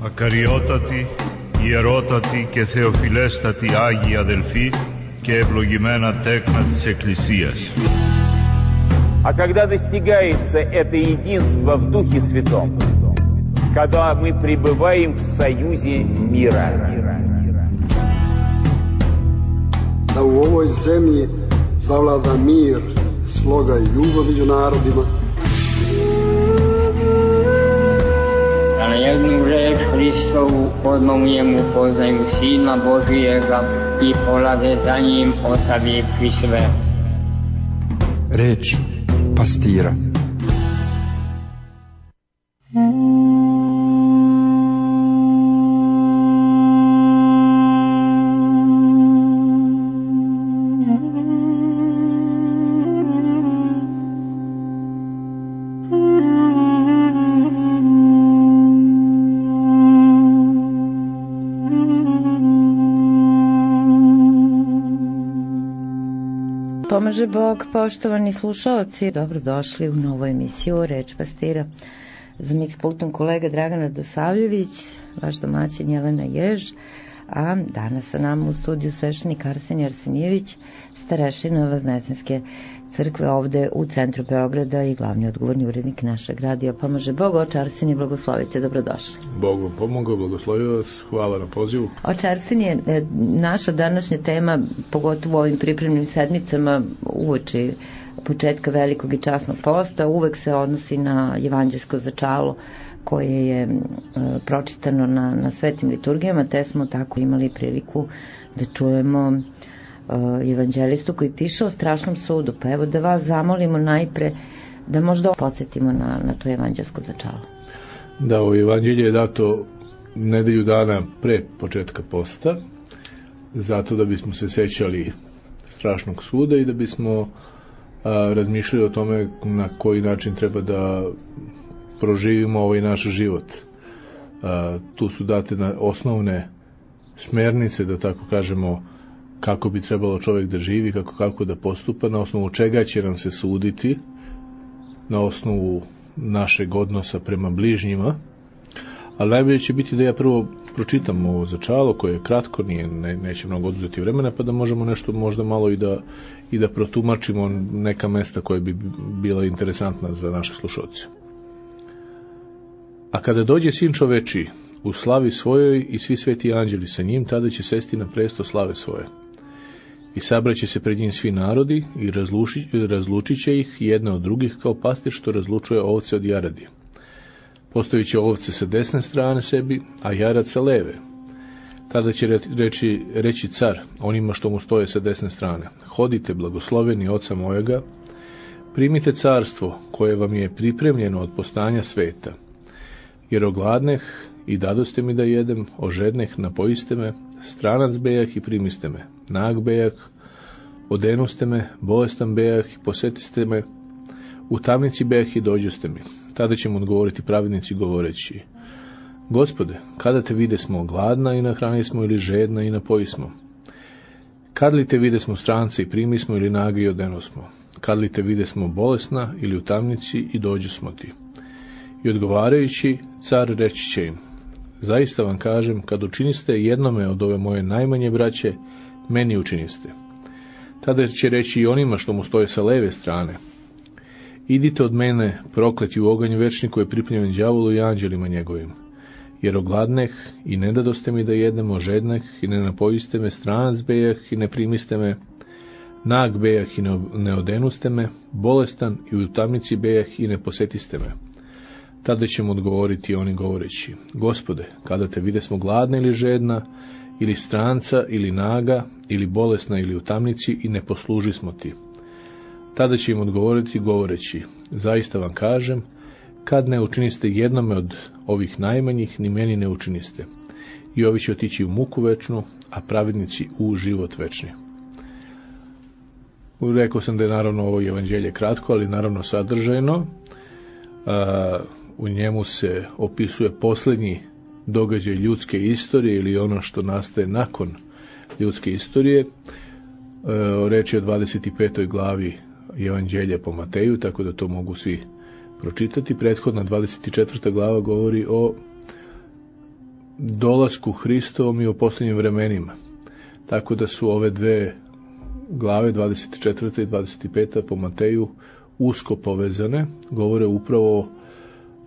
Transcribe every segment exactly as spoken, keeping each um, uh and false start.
Ακαριότατοι, ιερότατοι και θεοφιλέστατοι Άγιοι αδελφοί και ευλογημένα τέκνα της Εκκλησίας. А когда достигается это единство в Духе Святом, когда мы пребываем в союзе мира. Da u ovoj zemlji zavlada mir, sloga i ljubav među narodima. Da na jednu reč Hristovu odmah u njemu poznaju Sina Božijega i polaze za njim ostavivši sve. Reč pastira. Pomaže Bog, poštovani slušaoci, dobrodošli u novu emisiju Reč pastira. Za miks pultom kolega Dragana Dosavljević, vaš domaćin Jelena Jež, a danas sa nama u studiju sveštenik Arsenije Arsenijević, starešina Vaznesenske crkve ovde u centru Beograda i glavni odgovorni urednik našeg radija. Pomaže Bog, oče Arsenije, blagoslovite, dobrodošli. Bog vam pomogao, blagoslovio vas, hvala na pozivu. Oče Arsenije, naša današnja tema, pogotovo u ovim pripremnim sedmicama uoči početka velikog i časnog posta, uvek se odnosi na evanđelsko začalo koje je e, pročitano na, na svetim liturgijama, te smo tako imali priliku da čujemo e, evanđelistu koji piše o strašnom sudu. Pa evo da vas zamolimo najpre da možda podsjetimo na, na to evanđelsko začalo. Da, ovo evanđelje je dato nedelju dana pre početka posta, zato da bismo se sećali strašnog suda i da bismo a, razmišljali o tome na koji način treba da proživimo ovaj naš život. A, tu su date na osnovne smernice, da tako kažemo, kako bi trebalo čovjek da živi, kako, kako da postupa, na osnovu čega će nam se suditi, na osnovu našeg odnosa prema bližnjima. Ali najbolje će biti da ja prvo pročitam ovo začalo koje je kratko, nije, ne, neće mnogo oduzeti vremena, pa da možemo nešto možda malo i da, i da protumačimo neka mesta koje bi bila interesantna za naše slušalce. A kada dođe sin čoveči u slavi svojoj i svi sveti anđeli sa njim, tada će sesti na presto slave svoje. I sabraće se pred njim svi narodi i razluči, razlučit će ih jedne od drugih kao pastir što razlučuje ovce od jaradi. Postavit će ovce sa desne strane sebi, a jarad sa leve. Tada će reći, reći car onima što mu stoje sa desne strane: hodite, blagosloveni oca mojega, primite carstvo koje vam je pripremljeno od postanja sveta. Jer ogladneh i dadoste mi da jedem, ožedneh, napojiste me, stranac bejah i primiste me, nag bejah, odenuste me, bolestan bejah i posetiste me, u tamnici bejah i dođoste mi. Tada će mu odgovoriti pravednici govoreći: Gospode, kada te vide smo gladna i nahrani smo, ili žedna i napoji smo? Kad li te vide smo stranca i primi smo, ili nagi i odeno smo? Kad li te vide smo bolesna ili u tamnici i dođu smo ti? I odgovarajući, car reći će im: zaista vam kažem, kad učiniste jednome od ove moje najmanje braće, meni učiniste. Tada će reći i onima što mu stoje sa leve strane: idite od mene, prokleti u oganj večni koji je pripremljen đavolu i anđelima njegovim. Jer ogladneh i ne dadoste mi da jedem, ožedneh i ne napojiste me, stranac bejah i ne primiste me, nag bejah i ne odenuste me, bolestan i u tamnici bejah i ne posetiste me. Tada će mu odgovoriti oni govoreći: Gospode, kada te vide smo gladna ili žedna, ili stranca, ili naga, ili bolesna, ili u tamnici i ne posluži smo ti. Tada će im odgovoriti govoreći: zaista vam kažem, kad ne učiniste jednome od ovih najmanjih, ni meni ne učiniste. I ovi će otići u muku večnu, a pravednici u život večni. Rekao sam da je naravno ovo evanđelje kratko, ali naravno sadržajno. A, u njemu se opisuje posljednji događaj ljudske istorije ili ono što nastaje nakon ljudske istorije. E, reč je o dvadeset petoj glavi Evanđelja po Mateju, tako da to mogu svi pročitati. Prethodna dvadeset četvrta glava govori o dolasku Hristovom i o posljednjim vremenima. Tako da su ove dve glave, dvadeset četvrta i dvadeset peta po Mateju, usko povezane, govore upravo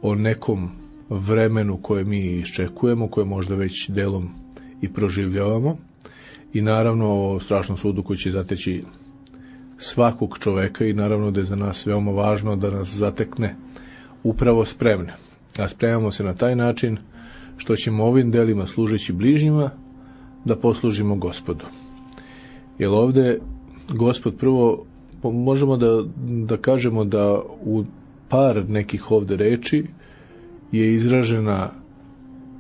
o nekom vremenu koje mi iščekujemo, koje možda već delom i proživljavamo, i naravno o strašnom sudu koji će zateći svakog čoveka, i naravno da je za nas veoma važno da nas zatekne upravo spremne. A spremamo se na taj način što ćemo ovim delima, služeći bližnjima, da poslužimo Gospodu. Jer ovde Gospod prvo, možemo da, da kažemo da u par nekih ovde reči je izražena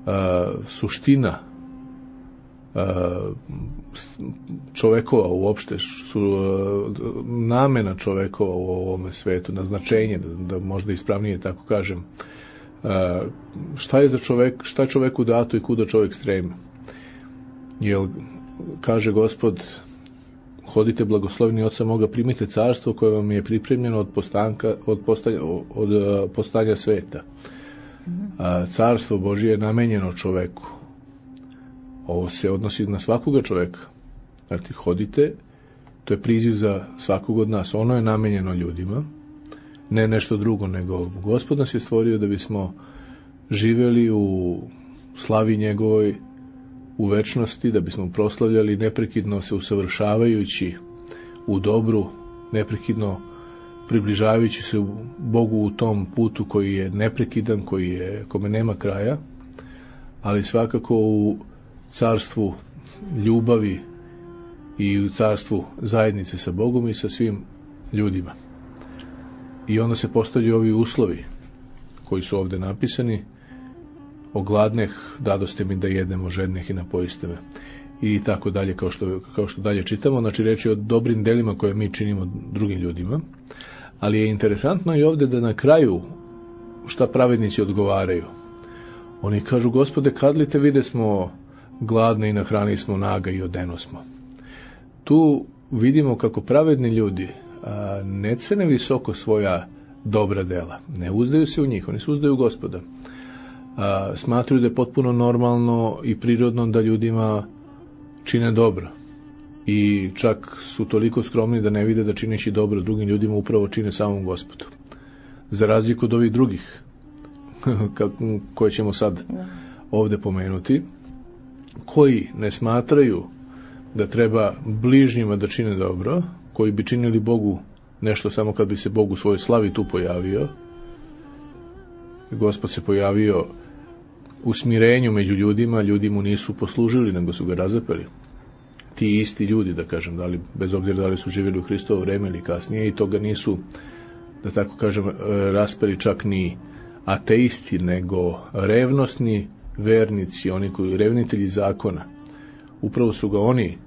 a, suština a, čovekova uopšte, su, a, namena čovekova u ovome svetu, naznačenje, da, da možda ispravnije tako kažem, a, šta je za čovek, šta je čoveku dato i kuda čovek stremi. Jer kaže Gospod: hodite blagosloveni Oca moga, primite carstvo koje vam je pripremljeno od postanka, od postanja, od postanja sveta. A carstvo Božije je namenjeno čoveku. Ovo se odnosi na svakoga čoveka. Znači, hodite, to je priziv za svakog od nas. Ono je namenjeno ljudima, ne nešto drugo, nego Gospod nas je stvorio da bismo živjeli u slavi njegovoj, u večnosti, da bismo proslavljali neprekidno se usavršavajući u dobru, neprekidno približavajući se Bogu u tom putu koji je neprekidan, koji je, kome nema kraja, ali svakako u carstvu ljubavi i u carstvu zajednice sa Bogom i sa svim ljudima. I onda se postavljaju ovi uslovi koji su ovde napisani: ogladneh, dadoste mi da jedemo, žedneh i napojiste me, i tako dalje, kao što, kao što dalje čitamo. Znači, reč je o dobrim delima koje mi činimo drugim ljudima, ali je interesantno i ovde da na kraju šta pravednici odgovaraju. Oni kažu: Gospode, kad li te vide smo gladni i nahrani smo, naga i odeno smo. Tu vidimo kako pravedni ljudi a, ne cene visoko svoja dobra dela, ne uzdaju se u njih, oni se uzdaju u Gospoda. A, smatruju da je potpuno normalno i prirodno da ljudima čine dobro, i čak su toliko skromni da ne vide da čineći dobro drugim ljudima upravo čine samom Gospodu, za razliku od ovih drugih koje ćemo sad ovde pomenuti, koji ne smatraju da treba bližnjima da čine dobro, koji bi činili Bogu nešto samo kad bi se Bog u svojoj slavi tu pojavio. Gospod se pojavio u smirenju među ljudima, ljudi mu nisu poslužili, nego su ga razapeli. Ti isti ljudi, da kažem, da li, bez obzira da li su živjeli u Hristovo vreme ili kasnije, i toga nisu, da tako kažem, raspeli čak ni ateisti, nego revnosni vernici, oni koji revnitelji zakona. Upravo su ga oni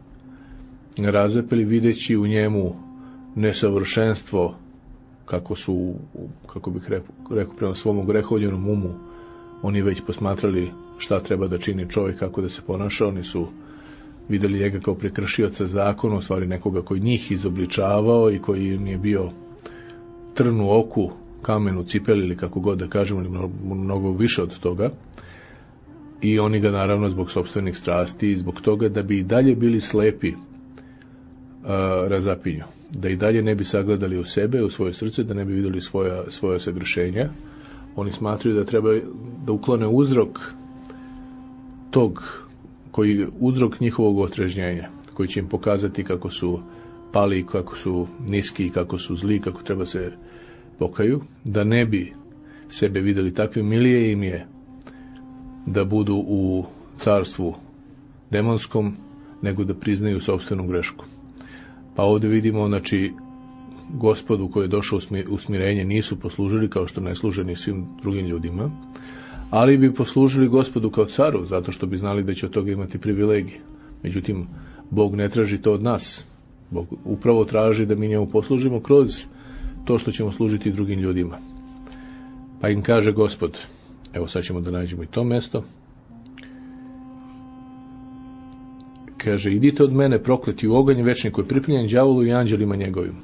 razapeli, videći u njemu nesavršenstvo, kako su, kako bih rekao, prema svom grehovljenom umu, oni već posmatrali šta treba da čini čovjek, kako da se ponaša. Oni su videli njega kao prekršioca zakona, u stvari nekoga koji njih izobličavao i koji im je bio trn u oku, kamen u cipeli, ili kako god da kažemo, ili mnogo, mnogo više od toga. I oni ga naravno zbog sopstvenih strasti, zbog toga da bi i dalje bili slepi, a, razapinju, da i dalje ne bi sagledali u sebe, u svoje srce, da ne bi videli svoja, svoja sagrešenja. Oni smatruju da treba da uklone uzrok tog, koji uzrok njihovog otrežnjenja, koji će im pokazati kako su pali, kako su niski, kako su zli, kako treba se pokaju, da ne bi sebe videli takvim. Milije im je da budu u carstvu demonskom, nego da priznaju sopstvenu grešku. Pa ovdje vidimo, znači, Gospodu koji je došao u smirenje nisu poslužili, kao što ne služe ni svim drugim ljudima, ali bi poslužili Gospodu kao caru, zato što bi znali da će od toga imati privilegije. Međutim, Bog ne traži to od nas. Bog upravo traži da mi njemu poslužimo kroz to što ćemo služiti drugim ljudima. Pa im kaže Gospod, evo sad ćemo da nađemo i to mesto, kaže: idite od mene prokleti u oganj večni koji je pripremljen đavolu i anđelima njegovim.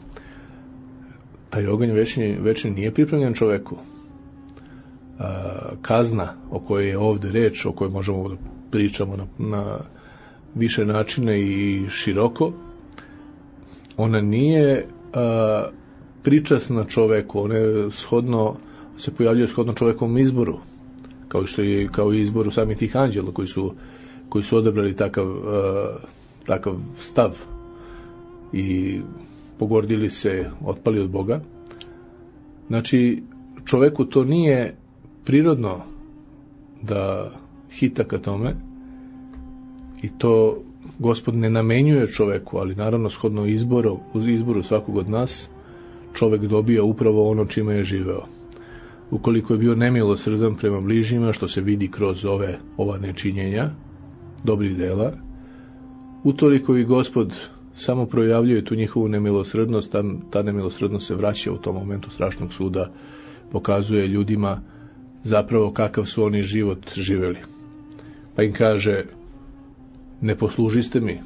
Taj oganj večni, večni nije pripremljen čoveku. a, kazna o kojoj je ovdje reč, o kojoj možemo da pričamo na, na više načina i široko, ona nije a, pričasna čoveku, ona je shodno, se pojavljuje shodno čovekovom izboru, kao što je kao i izboru samih tih anđela koji su, koji su odabrali takav, a, takav stav i pogordili se, otpali od Boga. Znači, čoveku to nije prirodno da hita ka tome i to Gospod ne namenjuje čoveku, ali naravno shodno izboru, uz izboru svakog od nas čovek dobija upravo ono čime je živeo. Ukoliko je bio nemilosrdan prema bližnjima, što se vidi kroz ove ova nečinjenja dobrih dela, utoliko i Gospod samo projavljuje tu njihovu nemilosrdnost, ta, ta nemilosrdnost se vraća u tom momentu strašnog suda, pokazuje ljudima zapravo kakav su oni život živeli. Pa im kaže, ne poslužiste mi,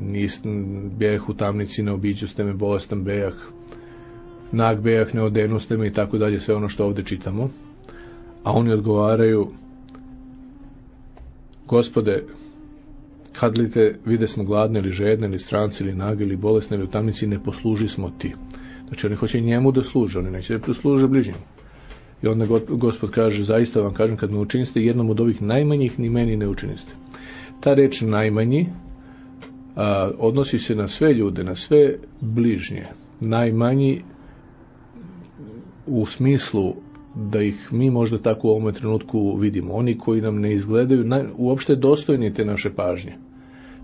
nisam bejah u tamnici, ne obiđuste me, bolestan bejah, nag bejah, ne odenuste me i tako dalje, sve ono što ovdje čitamo. A oni odgovaraju, Gospode, kad li te vide smo gladne ili žedne ili stranci ili nage ili bolesne ili u tamnici, ne posluži smo ti. Znači oni hoće njemu da služe, oni neće da služe bližnjim. I onda Gospod kaže, zaista vam kažem, kad me učiniste jednom od ovih najmanjih, ni meni ne učiniste. Ta reč najmanji a, odnosi se na sve ljude, na sve bližnje. Najmanji u smislu da ih mi možda tako u ovom trenutku vidimo. Oni koji nam ne izgledaju naj, uopšte dostojni te naše pažnje.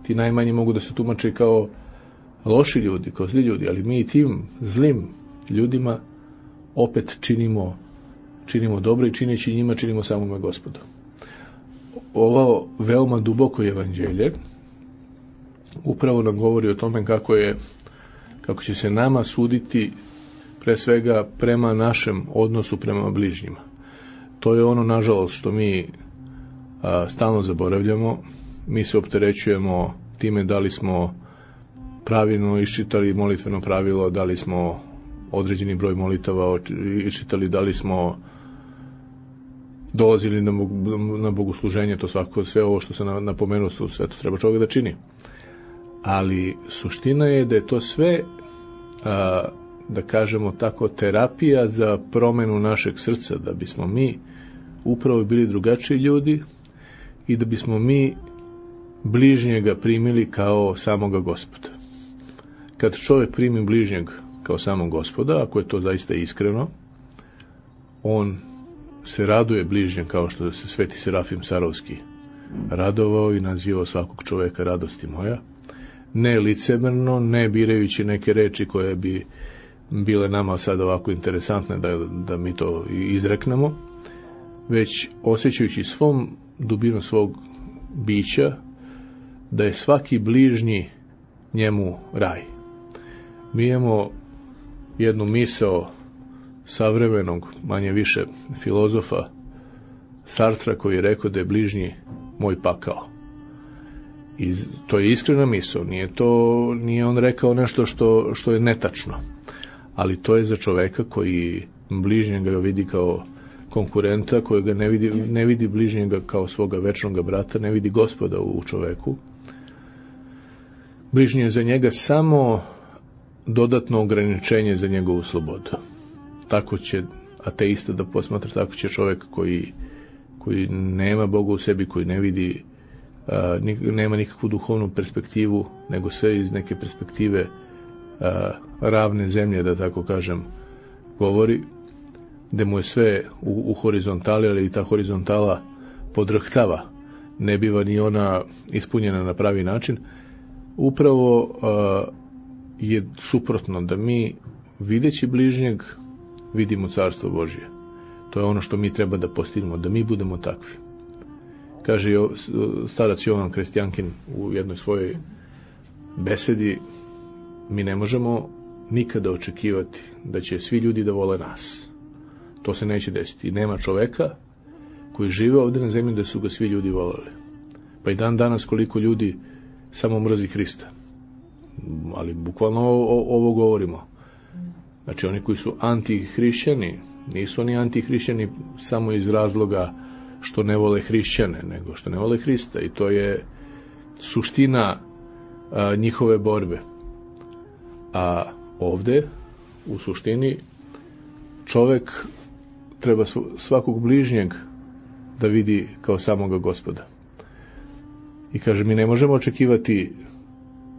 Ti najmanji mogu da se tumače kao loši ljudi, kao zli ljudi, ali mi i tim zlim ljudima opet činimo, činimo dobro i čineći njima činimo samome Gospodu. Ovo veoma duboko evanđelje upravo nam govori o tome kako je, kako će se nama suditi pre svega prema našem odnosu prema bližnjima. To je ono, nažalost, što mi a, stalno zaboravljamo. Mi se opterećujemo time da li smo pravilno iščitali molitveno pravilo, da li smo određeni broj molitava iščitali, da li smo dolazili na, na bogosluženje, to svako, sve ovo što se napomenuo, sve to treba čovjek da čini. Ali suština je da je to sve, a, da kažemo tako, terapija za promenu našeg srca, da bismo mi upravo bili drugačiji ljudi i da bismo mi bližnjega primili kao samoga Gospoda. Kad čovjek primi bližnjeg kao samog Gospoda, ako je to zaista iskreno, on se raduje bližnjem kao što se Sveti Serafim Sarovski radovao i nazivao svakog čovjeka radosti moja, ne licemerno, ne birajući neke reči koje bi bile nama sad ovako interesantne da, da mi to izreknemo, već osjećajući svom dubinu svog bića da je svaki bližnji njemu raj. Mi imamo jednu misao savremenog, manje više filozofa Sartra, koji je rekao da je bližnji moj pakao. I to je iskrena misao, nije to, nije on rekao nešto što, što je netačno, ali to je za čoveka koji bližnjega vidi kao konkurenta, koji ga ne vidi, ne vidi bližnjega kao svoga večnog brata, ne vidi Gospoda u čoveku. Bližnji je za njega samo dodatno ograničenje za njegovu slobodu. Tako će ateista da posmatra, tako će čovjek koji, koji nema Boga u sebi, koji ne vidi, a, nema nikakvu duhovnu perspektivu, nego sve iz neke perspektive a, ravne zemlje, da tako kažem, govori, da mu je sve u, u horizontali, ali i ta horizontala podrhtava, ne biva ni ona ispunjena na pravi način. Upravo a, je suprotno, da mi videći bližnjeg vidimo Carstvo Božje. To je ono što mi treba da postignemo, da mi budemo takvi. Kaže starac Jovan Krestjankin u jednoj svojoj besedi, mi ne možemo nikada očekivati da će svi ljudi da vole nas. To se neće desiti. Nema čoveka koji žive ovdje na zemlji da su ga svi ljudi voleli. Pa i dan danas koliko ljudi samo mrzi Hrista. Ali bukvalno ovo govorimo. Znači oni koji su antihrišćani, Nisu oni antihrišćani samo iz razloga što ne vole hrišćane, nego što ne vole Hrista, i to je suština a, njihove borbe. A ovde, u suštini, čovek treba svakog bližnjeg da vidi kao samoga Gospoda. I kaže, mi ne možemo očekivati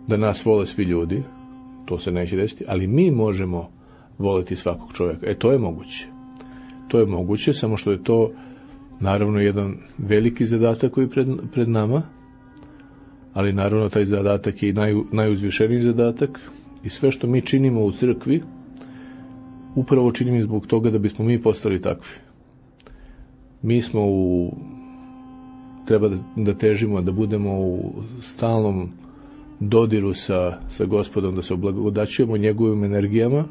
da nas vole svi ljudi, to se neće desiti, ali mi možemo voleti svakog čovjeka. E, to je moguće. To je moguće, samo što je to naravno jedan veliki zadatak koji je pred, pred nama, ali naravno taj zadatak je i naj, najuzvišeniji zadatak, i sve što mi činimo u crkvi upravo činimo zbog toga da bismo mi postali takvi. Mi smo u treba da, da težimo da budemo u stalnom dodiru sa, sa Gospodom, da se oblagodaćujemo njegovim energijama,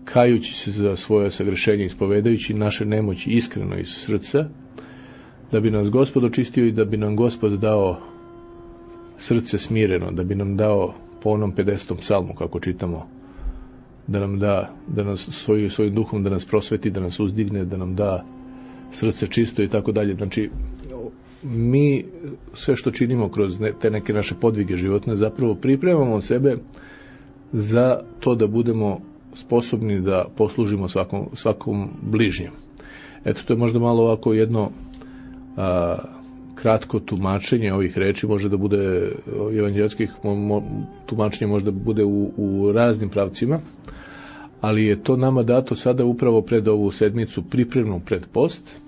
kajući se za svoje sagrešenje, ispovedajući naše nemoći iskreno iz srca, da bi nas Gospod očistio i da bi nam Gospod dao srce smireno, da bi nam dao po onom pedesetom psalmu, kako čitamo, da nam da, da nas svoj, svojim duhom da nas prosveti, da nas uzdigne, da nam da srce čisto i tako dalje. Znači, mi sve što činimo kroz ne, te neke naše podvige životne, zapravo pripremamo sebe za to da budemo sposobni da poslužimo svakom, svakom bližnjem. Eto, to je možda malo ovako jedno a, kratko tumačenje ovih reči, može da bude evanđelskih tumačenja, možda bude u, u raznim pravcima, ali je to nama dato sada upravo pred ovu sedmicu, pripremnu pred post,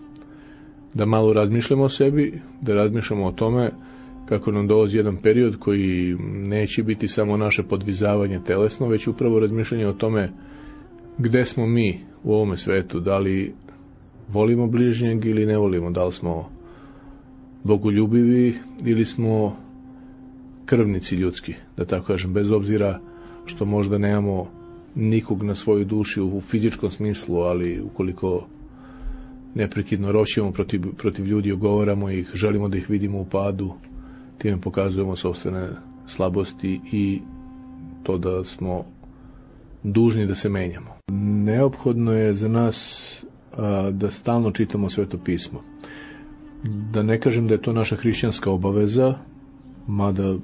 da malo razmišljamo o sebi, da razmišljamo o tome kako nam dolazi jedan period koji neće biti samo naše podvizavanje telesno, već upravo razmišljanje o tome gde smo mi u ovome svetu, da li volimo bližnjeg ili ne volimo, da li smo bogoljubivi ili smo krvnici ljudski, da tako kažem, bez obzira što možda nemamo nikog na svojoj duši u fizičkom smislu, ali ukoliko neprekidno roćemo protiv, protiv ljudi, ogovaramo ih, želimo da ih vidimo u padu, time pokazujemo sopstvene slabosti i to da smo dužni da se menjamo. Neophodno je za nas a, da stalno čitamo Sveto pismo. Da ne kažem da je to naša hrišćanska obaveza, mada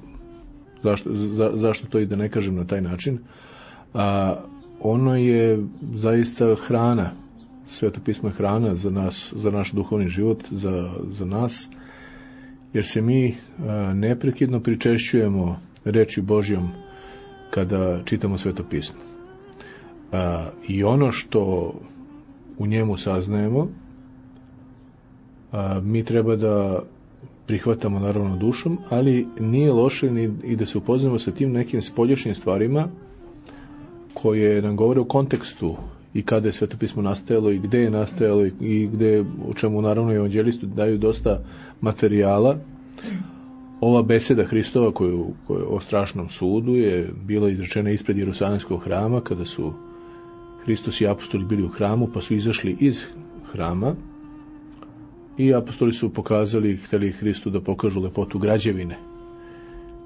zašto, za, zašto to i da ne kažem na taj način, a ono je zaista hrana. Sveto pismo je hrana za nas, za naš duhovni život, za, za nas, jer se mi a, neprekidno pričešćujemo reči Božjom kada čitamo Sveto pismo. A, I ono što u njemu saznajemo, a, mi treba da prihvatamo naravno dušom, ali nije loše ni i da se upoznamo sa tim nekim spoljašnjim stvarima koje nam govore o kontekstu i kada je Sveto pismo nastajalo i gde je nastajalo i gde, o čemu naravno evanđelisti daju dosta materijala. Ova beseda Hristova koju, koju o strašnom sudu je bila izrečena ispred Jerusalimskog hrama, kada su Hristos i apostoli bili u hramu, pa su izašli iz hrama i apostoli su pokazali, hteli Hristu da pokažu lepotu građevine.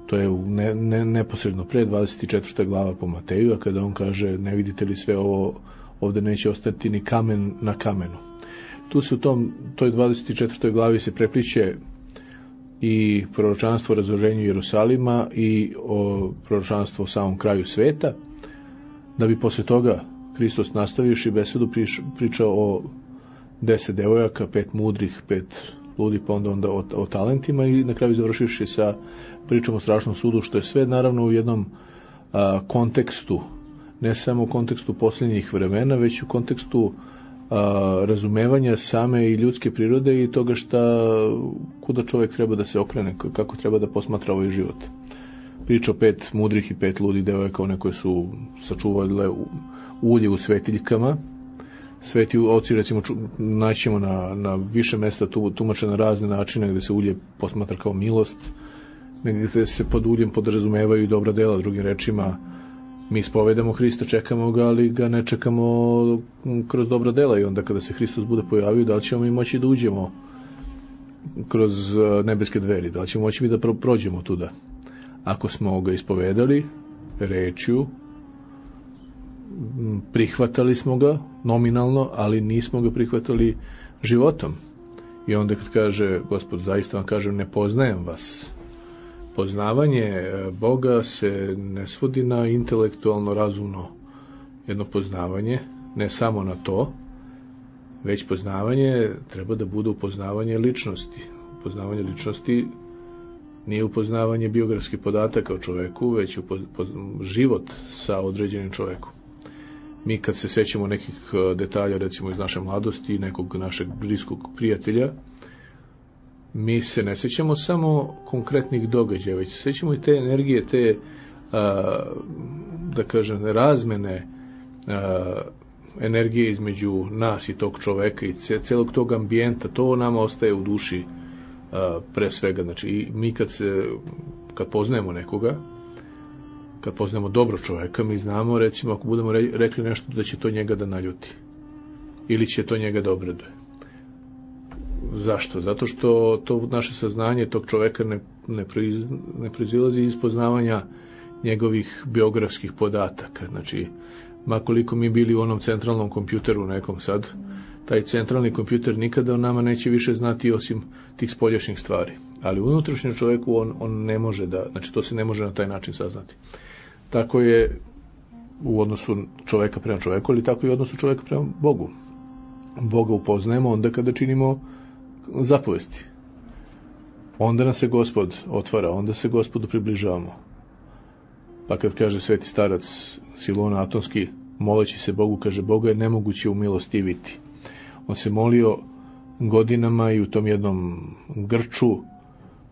To je ne, ne, neposredno pre dvadeset četvrta glava po Mateju, a kada on kaže, ne vidite li sve ovo, ovde neće ostati ni kamen na kamenu. Tu se u tom, toj dvadeset četvrtoj glavi se prepliče i proročanstvo o razoruženju Jerusalima i o proročanstvo o samom kraju sveta, da bi posle toga Hristos nastavivši besedu priš, pričao o deset devojaka, pet mudrih, pet ludi, pa onda, onda o, o talentima i na kraju završivši sa pričom o strašnom sudu, što je sve naravno u jednom a, kontekstu, ne samo u kontekstu posljednjih vremena, već u kontekstu a, razumevanja same i ljudske prirode i toga šta, kuda čovjek treba da se okrene, kako treba da posmatra ovaj život. Priča o pet mudrih i pet ludih devojaka, one koje su sačuvale ulje u svetiljkama. Sveti oci, recimo, naćemo na, na više mesta tu, tumače na razne načine gde se ulje posmatra kao milost, negdje se pod uljem podrazumevaju i dobra dela, drugim rečima, mi spovedamo Hrista, čekamo ga, ali ga ne čekamo kroz dobra dela i onda kada se Hristos bude pojavio, da li ćemo mi moći da uđemo kroz nebeske dveri, da li ćemo moći mi da prođemo tuda. Ako smo ga ispovedali rečju, prihvatali smo ga nominalno, ali nismo ga prihvatali životom. I onda kad kaže Gospod, zaista vam kažem, ne poznajem vas. Poznavanje Boga se ne svodi na intelektualno razumno jedno poznavanje, ne samo na to, već poznavanje treba da bude upoznavanje ličnosti. Upoznavanje ličnosti nije upoznavanje biografskih podataka o čoveku, već upoz... život sa određenim čovekom. Mi kad se sećamo nekih detalja, recimo iz naše mladosti, nekog našeg bliskog prijatelja, mi se ne sećamo samo konkretnih događaja, već se sećamo i te energije, te, a, da kažem, razmene a, energije između nas i tog čoveka i celog tog ambijenta. To nama ostaje u duši a, pre svega. Znači, i mi kad se, kad poznajemo nekoga, kad poznajemo dobro čoveka, mi znamo, recimo, ako budemo rekli nešto, da će to njega da naljuti ili će to njega da obraduje. Zašto? Zato što to naše saznanje tog čoveka ne, ne, proiz, ne proizilazi iz poznavanja njegovih biografskih podataka. Znači, makoliko mi bili u onom centralnom kompjuteru nekom sad, taj centralni kompjuter nikada o nama neće više znati osim tih spoljašnjih stvari. Ali unutrašnjem čoveku on, on ne može da, znači to se ne može na taj način saznati. Tako je u odnosu čoveka prema čoveku, ali tako i u odnosu čoveka prema Bogu. Boga upoznajemo onda kada činimo zapovesti. Onda nas se Gospod otvara, onda se Gospodu približavamo. Pa kad kaže sveti starac Silona Atonski, moleći se Bogu, kaže, Boga je nemoguće umilostiviti. On se molio godinama i u tom jednom grču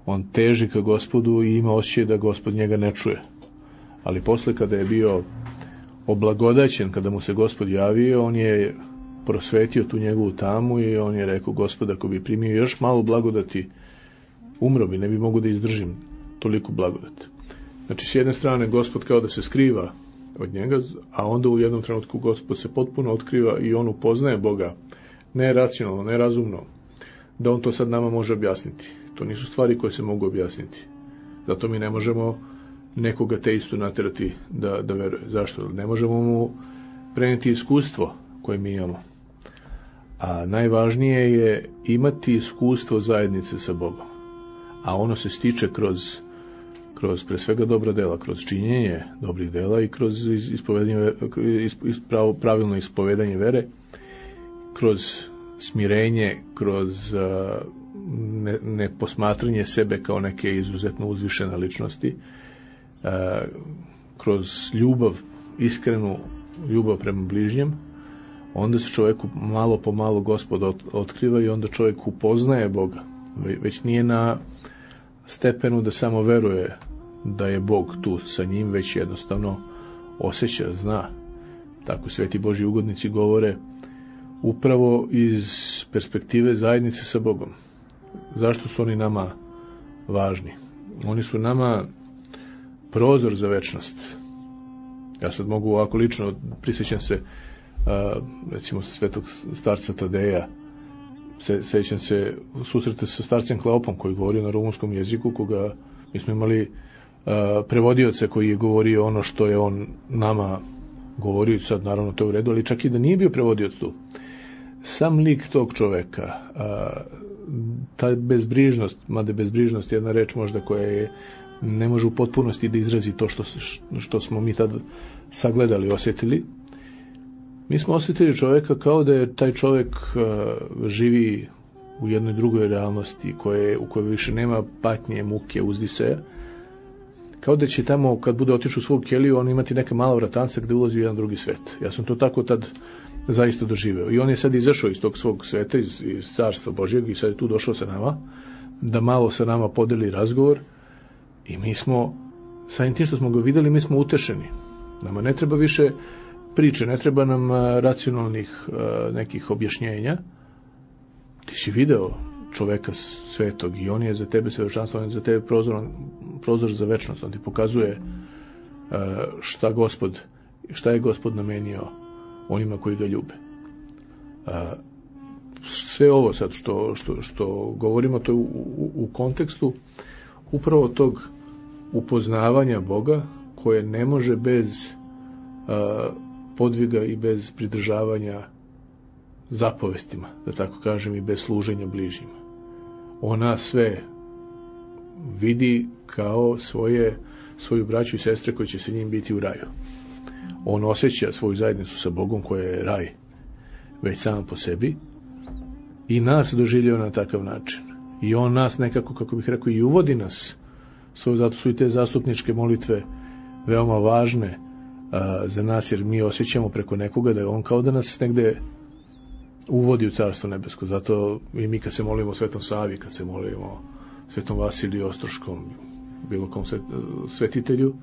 on teži ka Gospodu i ima osjećaj da Gospod njega ne čuje. Ali posle kada je bio oblagodaćen, kada mu se Gospod javio, on je prosvetio tu njegovu tamu i on je rekao, Gospod, ako bi primio još malo blagodati, umro bi, ne bi mogu da izdržim toliku blagodat. Znači, s jedne strane, Gospod kao da se skriva od njega, a onda u jednom trenutku Gospod se potpuno otkriva i on upoznaje Boga, ne racionalno, ne razumno, da on to sad nama može objasniti. To nisu stvari koje se mogu objasniti. Zato mi ne možemo nekoga teistu naterati da, da veruje. Zašto? Ne možemo mu preneti iskustvo koje mi imamo. A najvažnije je imati iskustvo zajednice sa Bogom. A ono se stiče kroz, kroz pre svega dobra dela, kroz činjenje dobrih dela i kroz ispovedanje, ispravo, pravilno ispovedanje vere, kroz smirenje, kroz uh, ne, ne posmatranje sebe kao neke izuzetno uzvišene ličnosti, uh, kroz ljubav, iskrenu ljubav prema bližnjem, onda se čovjeku malo po malo Gospod otkriva i onda čovjek upoznaje Boga. Već nije na stepenu da samo veruje da je Bog tu sa njim, već jednostavno osjeća, zna. Tako sveti Božji ugodnici govore upravo iz perspektive zajednice sa Bogom. Zašto su oni nama važni? Oni su nama prozor za večnost. Ja sad mogu ovako lično, prisjećam se a, recimo svetog starca Tadeja, se, sećam se susreta sa starcem Kleopom koji govorio na rumunskom jeziku, koga mi smo imali a, prevodioca koji je govorio ono što je on nama govorio, sad naravno to je u redu, ali čak i da nije bio prevodioc tu. Sam lik tog čoveka, a, ta bezbrižnost, mada bezbrižnost je jedna reč možda koja je ne može u potpunosti da izrazi to što, što smo mi tad sagledali, osjetili. Mi smo osjetili čoveka kao da je taj čovek uh, živi u jednoj drugoj realnosti koje, u kojoj više nema patnje, muke, uzdiseja. Kao da će tamo, kad bude otišao u svog keliju, on imati neka mala vratanca gde ulazi u jedan drugi svet. Ja sam to tako tad zaista doživeo. I on je sad izašao iz tog svog sveta, iz, iz carstva Božjeg, i sad je tu došao sa nama, da malo sa nama podeli razgovor. I mi smo, samim tim što smo ga videli, mi smo utešeni. Nama ne treba više priče, ne treba nam racionalnih nekih objašnjenja. Ti si video čoveka svetog i on je za tebe svedočanstvo, on je za tebe prozor, prozor za večnost. On ti pokazuje šta Gospod, šta je Gospod namenio onima koji ga ljube. Sve ovo sad što, što, što govorimo, to je u, u, u kontekstu upravo tog upoznavanja Boga koje ne može bez uh, podviga i bez pridržavanja zapovestima, da tako kažem, i bez služenja bližnjima. Ona sve vidi kao svoje, svoju braću i sestre koji će se njim biti u raju. On osjeća svoju zajednicu sa Bogom koja je raj već sam po sebi i nas doživljava na takav način. I on nas nekako, kako bih rekao, i uvodi nas. Svoje, zato su i te zastupničke molitve veoma važne a, za nas, jer mi osjećamo preko nekoga da je on kao da nas negde uvodi u Carstvo nebesko. Zato i mi kad se molimo Svetom Savi, kad se molimo Svetom Vasiliju Ostroškom, bilo kom svetitelju,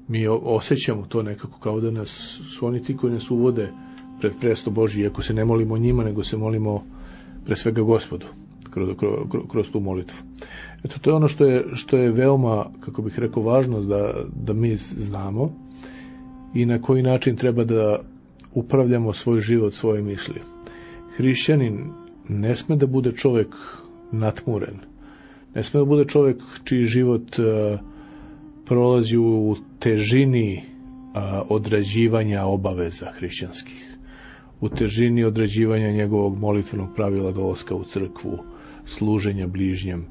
mi osjećamo to nekako kao da nas su oni ti koji nas uvode pred presto Božji, iako se ne molimo njima, nego se molimo pre svega Gospodu kroz, kroz, kroz tu molitvu. Eto, to je ono što je, što je veoma, kako bih rekao, važno da, da mi znamo i na koji način treba da upravljamo svoj život, svoje misli. Hrišćanin ne sme da bude čovjek natmuren, ne sme da bude čovjek čiji život uh, prolazi u težini uh, odrađivanja obaveza hrišćanskih, u težini odrađivanja njegovog molitvenog pravila dolaska u crkvu, služenja bližnjem.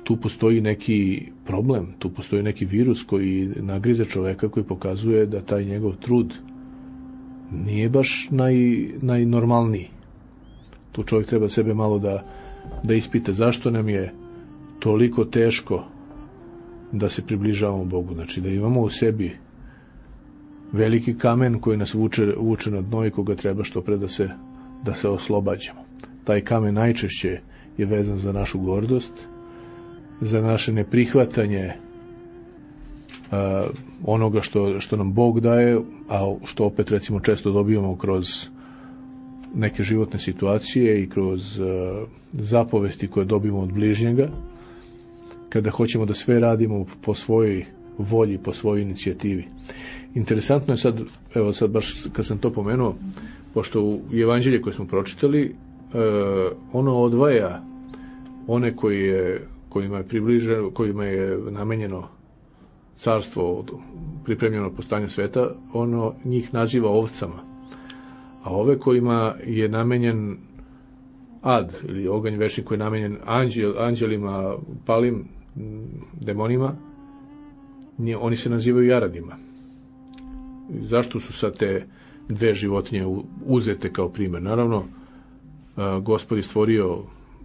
Tu postoji neki problem, tu postoji neki virus koji nagrize čoveka, koji pokazuje da taj njegov trud nije baš naj, najnormalniji. Tu čovjek treba sebe malo da, da ispita zašto nam je toliko teško da se približavamo Bogu. Znači da imamo u sebi veliki kamen koji nas vuče, vuče na dno i koga treba što pre da se, da se oslobađamo. Taj kamen najčešće je vezan za našu gordost, za naše neprihvatanje uh, onoga što, što nam Bog daje, a što opet recimo često dobijamo kroz neke životne situacije i kroz uh, zapovesti koje dobijemo od bližnjega, kada hoćemo da sve radimo po svojoj volji, po svojoj inicijativi. Interesantno je sad, evo sad baš kad sam to pomenuo, pošto u evanđelje koje smo pročitali, uh, ono odvaja one koji je, kojima je približeno, kojima je namenjeno carstvo od pripremljeno postanje sveta, ono njih naziva ovcama. A ove kojima je namenjen ad, ili oganj večni koji je namenjen anđel, anđelima, palim demonima, nje, oni se nazivaju jaradima. Zašto su sad te dve životinje uzete kao primjer? Naravno, Gospod je stvorio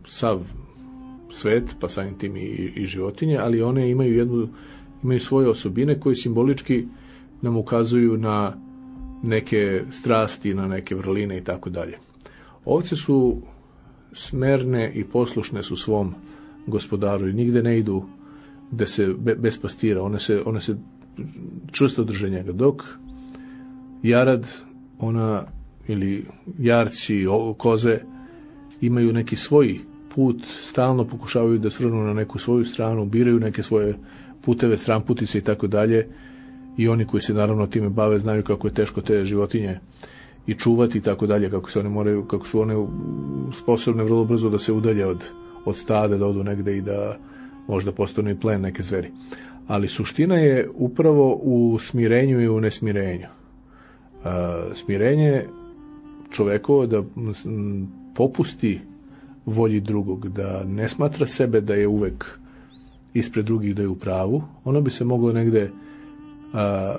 sav svet, pa samim tim i, i životinje, ali one imaju jednu, imaju svoje osobine koje simbolički nam ukazuju na neke strasti, na neke vrline i tako dalje. Ovce su smerne i poslušne su svom gospodaru i nigde ne idu gde se be, bez pastira, one se, one se čvrsto drže njega, dok jarad, ona ili jarci, koze imaju neki svoj put, stalno pokušavaju da svrnu na neku svoju stranu, biraju neke svoje puteve, stranputice i tako dalje, i oni koji se naravno time bave znaju kako je teško te životinje i čuvati i tako dalje, kako se one moraju, kako su one sposobne vrlo brzo da se udalje od, od stada, da odu negde i da možda postanu i plen neke zveri. Ali suština je upravo u smirenju i u nesmirenju. A, smirenje čovekovo da m, popusti volji drugog, da ne smatra sebe da je uvek ispred drugih, da je u pravu. Ono bi se moglo negde a,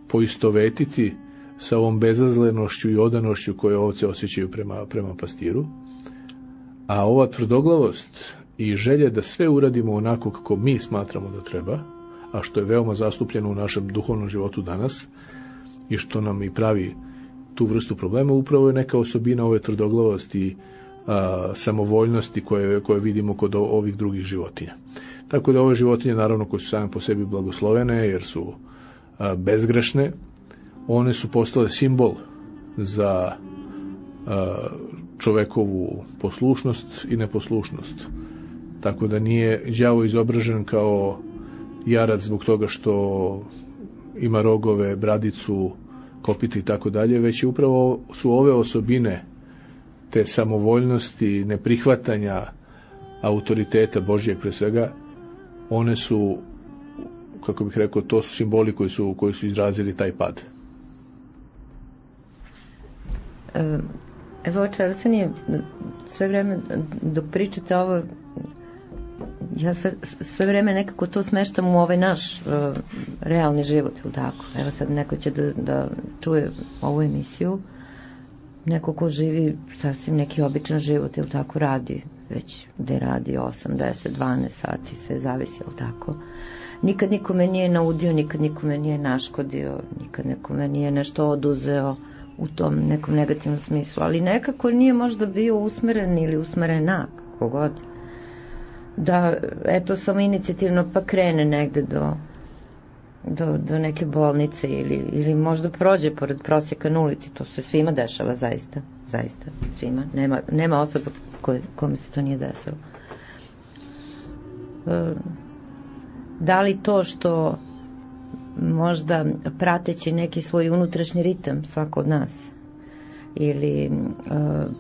poistovetiti sa ovom bezazlenošću i odanošću koje ovce osjećaju prema, prema pastiru. A ova tvrdoglavost i želje da sve uradimo onako kako mi smatramo da treba, a što je veoma zastupljeno u našem duhovnom životu danas i što nam i pravi tu vrstu problema, upravo je neka osobina ove tvrdoglavosti, a, samovoljnosti koje, koje vidimo kod ovih drugih životinja. Tako da ove životinje, naravno, koje su same po sebi blagoslovene jer su a, bezgrešne, one su postale simbol za a, čovekovu poslušnost i neposlušnost. Tako da nije đavo izobražen kao jarac zbog toga što ima rogove, bradicu, kopiti i tako dalje, već upravo su ove osobine te samovoljnosti, neprihvatanja autoriteta Božjeg pre svega, one su, kako bih rekao, to su simboli koji su, koji su izrazili taj pad. Evo, oče Arsenije, sve vreme dok pričate ovo, ja sve, sve vreme nekako to smeštam u ovaj naš uh, realni život, ili tako? Evo sad neko će da, da čuje ovu emisiju, neko ko živi sasvim neki običan život, ili tako, radi već gde radi osam, deset, dvanaest sati, sve zavisi, ili tako? Nikad nikome nije naudio, nikad nikome nije naškodio, nikad nikome nije nešto oduzeo u tom nekom negativnom smislu, ali nekako nije možda bio usmeren ili usmerena, kako god, da, eto, samo inicijativno pa krene negde do, do, do neke bolnice ili, ili možda prođe pored prosjeka na ulici. To se svima dešava, zaista, zaista, svima. Nema, nema osoba koje, kome se to nije desilo. E, da li to što možda prateći neki svoj unutrašnji ritam svako od nas ili uh,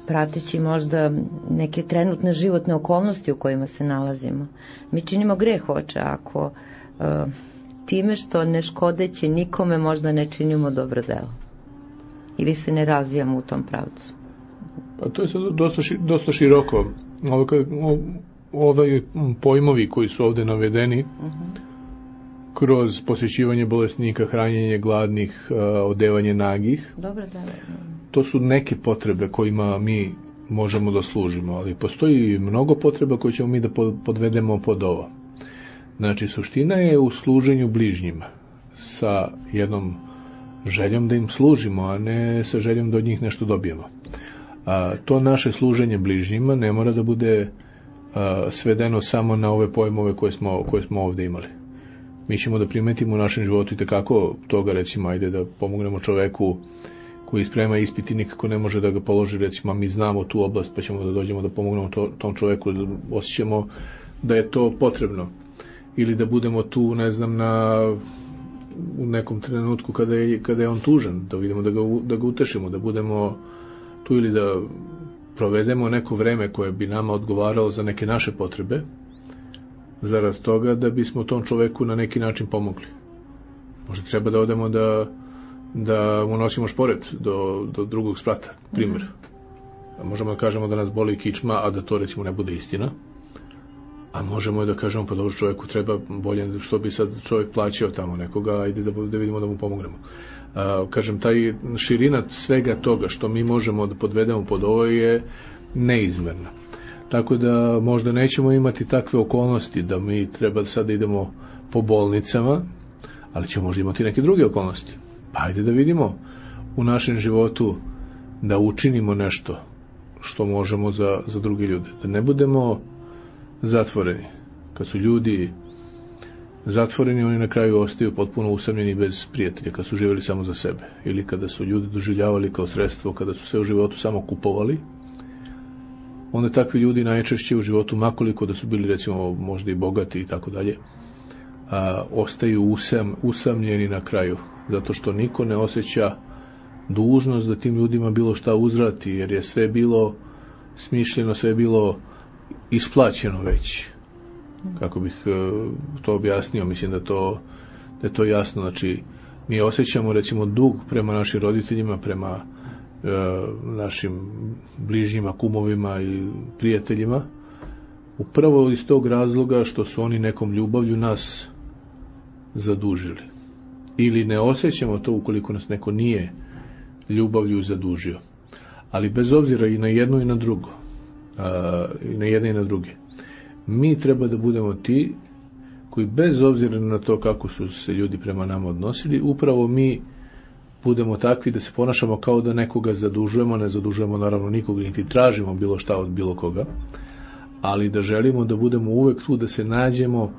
prateći možda neke trenutne životne okolnosti u kojima se nalazimo, mi činimo greh, oče, ako uh, time što ne škodeći nikome možda ne činimo dobro delo ili se ne razvijamo u tom pravcu. Pa to je sad dosta, ši, dosta široko. Ove, ove pojmovi koji su ovde navedeni, uh-huh, kroz posjećivanje bolesnika, hranjenje gladnih, odevanje nagih. Dobro, da, da. To su neke potrebe kojima mi možemo da služimo, ali postoji mnogo potreba koje ćemo mi da podvedemo pod ovo. Znači, suština je u služenju bližnjima, sa jednom željom da im služimo, a ne sa željom da od njih nešto dobijemo. A, to naše služenje bližnjima ne mora da bude a, svedeno samo na ove pojmove koje smo, koje smo ovde imali. Mi ćemo da primetimo u našem životu i tekako toga, recimo, ajde da pomognemo čoveku koji sprema ispit i nikako ne može da ga položi, recimo, mi znamo tu oblast, pa ćemo da dođemo da pomognemo to, tom čoveku, da osjećamo da je to potrebno. Ili da budemo tu, ne znam, na, u nekom trenutku kada je, kada je on tužan, da vidimo da ga, da ga utešimo, da budemo tu ili da provedemo neko vreme koje bi nama odgovaralo za neke naše potrebe, zarad toga da bismo tom čoveku na neki način pomogli. Možda treba da odemo da, da mu nosimo šporet do, do drugog sprata, primjer. Mm-hmm. Možemo da kažemo da nas boli kičma, a da to, recimo, ne bude istina. A možemo da kažemo, pa dobro, čoveku treba bolje, što bi sad čovjek plaćao tamo nekoga, ajde da, da vidimo da mu pomognemo. A, kažem, taj širina svega toga što mi možemo da podvedemo pod ovo je neizmerna. Tako da možda nećemo imati takve okolnosti da mi treba sad da idemo po bolnicama, ali ćemo možda imati neke druge okolnosti. Pa ajde da vidimo u našem životu da učinimo nešto što možemo za, za druge ljude. Da ne budemo zatvoreni. Kad su ljudi zatvoreni, oni na kraju ostaju potpuno usamljeni bez prijatelja, kad su živjeli samo za sebe. Ili kada su ljudi doživljavali kao sredstvo, kada su sve u životu samo kupovali, onda takvi ljudi najčešće u životu, makoliko da su bili, recimo, možda i bogati i tako dalje, a, ostaju usam, usamljeni na kraju, zato što niko ne osjeća dužnost da tim ljudima bilo šta uzvrati, jer je sve bilo smišljeno, sve bilo isplaćeno već. Kako bih to objasnio, mislim da, to, da je to jasno. Znači, mi osjećamo, recimo, dug prema našim roditeljima, prema e, našim bližnjima, kumovima i prijateljima, upravo iz tog razloga što su oni nekom ljubavlju nas zadužili. Ili ne osjećamo to ukoliko nas neko nije ljubavlju zadužio. Ali bez obzira i na jedno i na drugo, a, i na jedne i na druge, mi treba da budemo ti koji, bez obzira na to kako su se ljudi prema nama odnosili, upravo mi budemo takvi da se ponašamo kao da nekoga zadužujemo, ne zadužujemo naravno nikoga, niti tražimo bilo šta od bilo koga, ali da želimo da budemo uvek tu, da se nađemo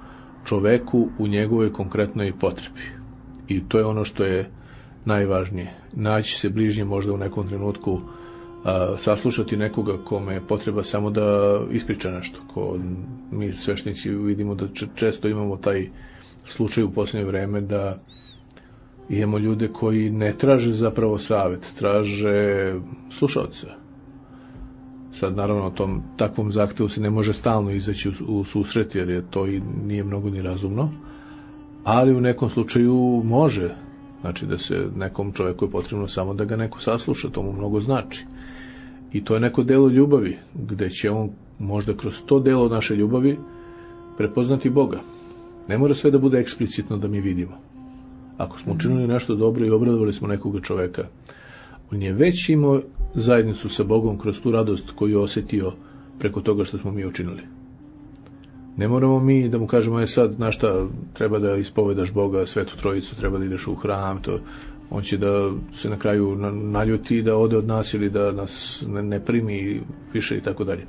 čoveku u njegovoj konkretnoj potrebi. I to je ono što je najvažnije. Naći se bližnje možda u nekom trenutku, a, saslušati nekoga kome je potreba samo da ispriča nešto. Ko mi sveštenici vidimo da često imamo taj slučaj u posljednje vreme da imamo ljude koji ne traže zapravo savjet, traže slušalca. Sad naravno o tom takvom zahtevu se ne može stalno izaći u, u susret, jer je to i nije mnogo ni razumno, ali u nekom slučaju može Znači da se nekom čovjeku je potrebno samo da ga neko sasluša, to mu mnogo znači. I to je neko delo ljubavi, gde će on možda kroz to delo naše ljubavi prepoznati Boga. Ne mora sve da bude eksplicitno da mi vidimo. Ako smo učinili nešto dobro i obradovali smo nekoga čoveka, on je već imao zajednicu sa Bogom kroz tu radost koju je osjetio preko toga što smo mi učinili. Ne moramo mi da mu kažemo, je sad, znaš šta, treba da ispovedaš Boga, Svetu Trojicu, treba da ideš u hram, to, on će da se na kraju naljuti da ode od nas ili da nas ne, ne primi više i tako dalje.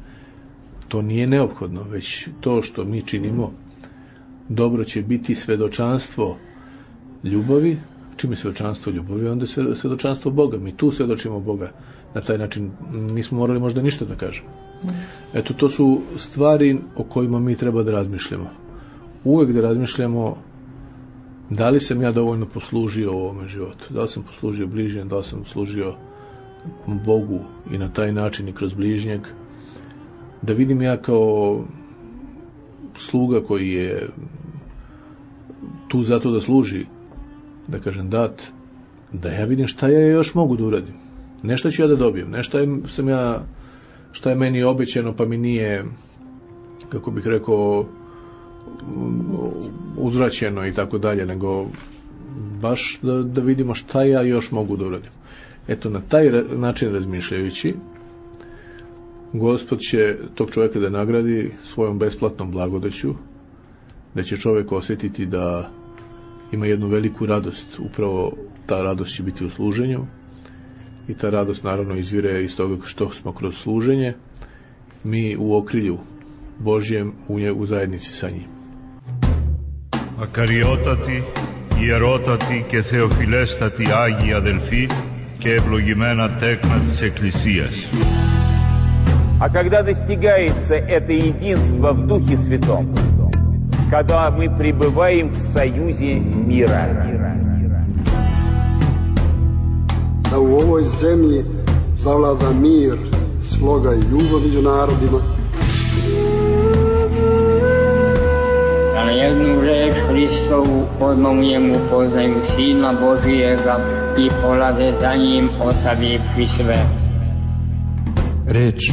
To nije neophodno, već to što mi činimo dobro će biti svedočanstvo ljubavi. Čim je svedočanstvo ljubavi, onda je svedočanstvo Boga. Mi tu svedočimo Boga. Na taj način nismo morali možda ništa da kažemo. Eto, to su stvari o kojima mi treba da razmišljamo. Uvek da razmišljamo da li sam ja dovoljno poslužio u ovome životu. Da li sam poslužio bližnjem, da li sam služio Bogu i na taj način i kroz bližnjeg. Da vidim ja kao sluga koji je tu zato da služi, da kažem dat, da ja vidim šta ja još mogu da uradim. Nešto ću ja da dobijem, nešto je, sam ja, šta je meni obećano pa mi nije, kako bih rekao, uzvraćeno i tako dalje, nego baš da, da vidimo šta ja još mogu da uradim. Eto, na taj način razmišljajući, Gospod će tog čovjeka da nagradi svojom besplatnom blagodaću, da će čovjek osjetiti da ima jednu veliku radost. Upravo ta radost će biti u služenju i ta radost naravno izvire iz toga što smo kroz služenje mi u okrilju Božjem u, nje, u zajednici sa njim. Ακαριότατη, ιερότατη και θεοφιλέστατη Άγιοι αδελφοί και ευλογημένα τέκνα της Εκκλησίας. А когда достигается это единство в Духе Святом, когда мы пребываем в союзе мира. Da u ovoj zemlji zavlada mir, sloga i ljubav među narodima. Da na jednu reč Hristovu odmah u njemu poznaju Sina Božijega i polaze za njim ostavivši sve. Reč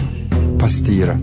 pastira.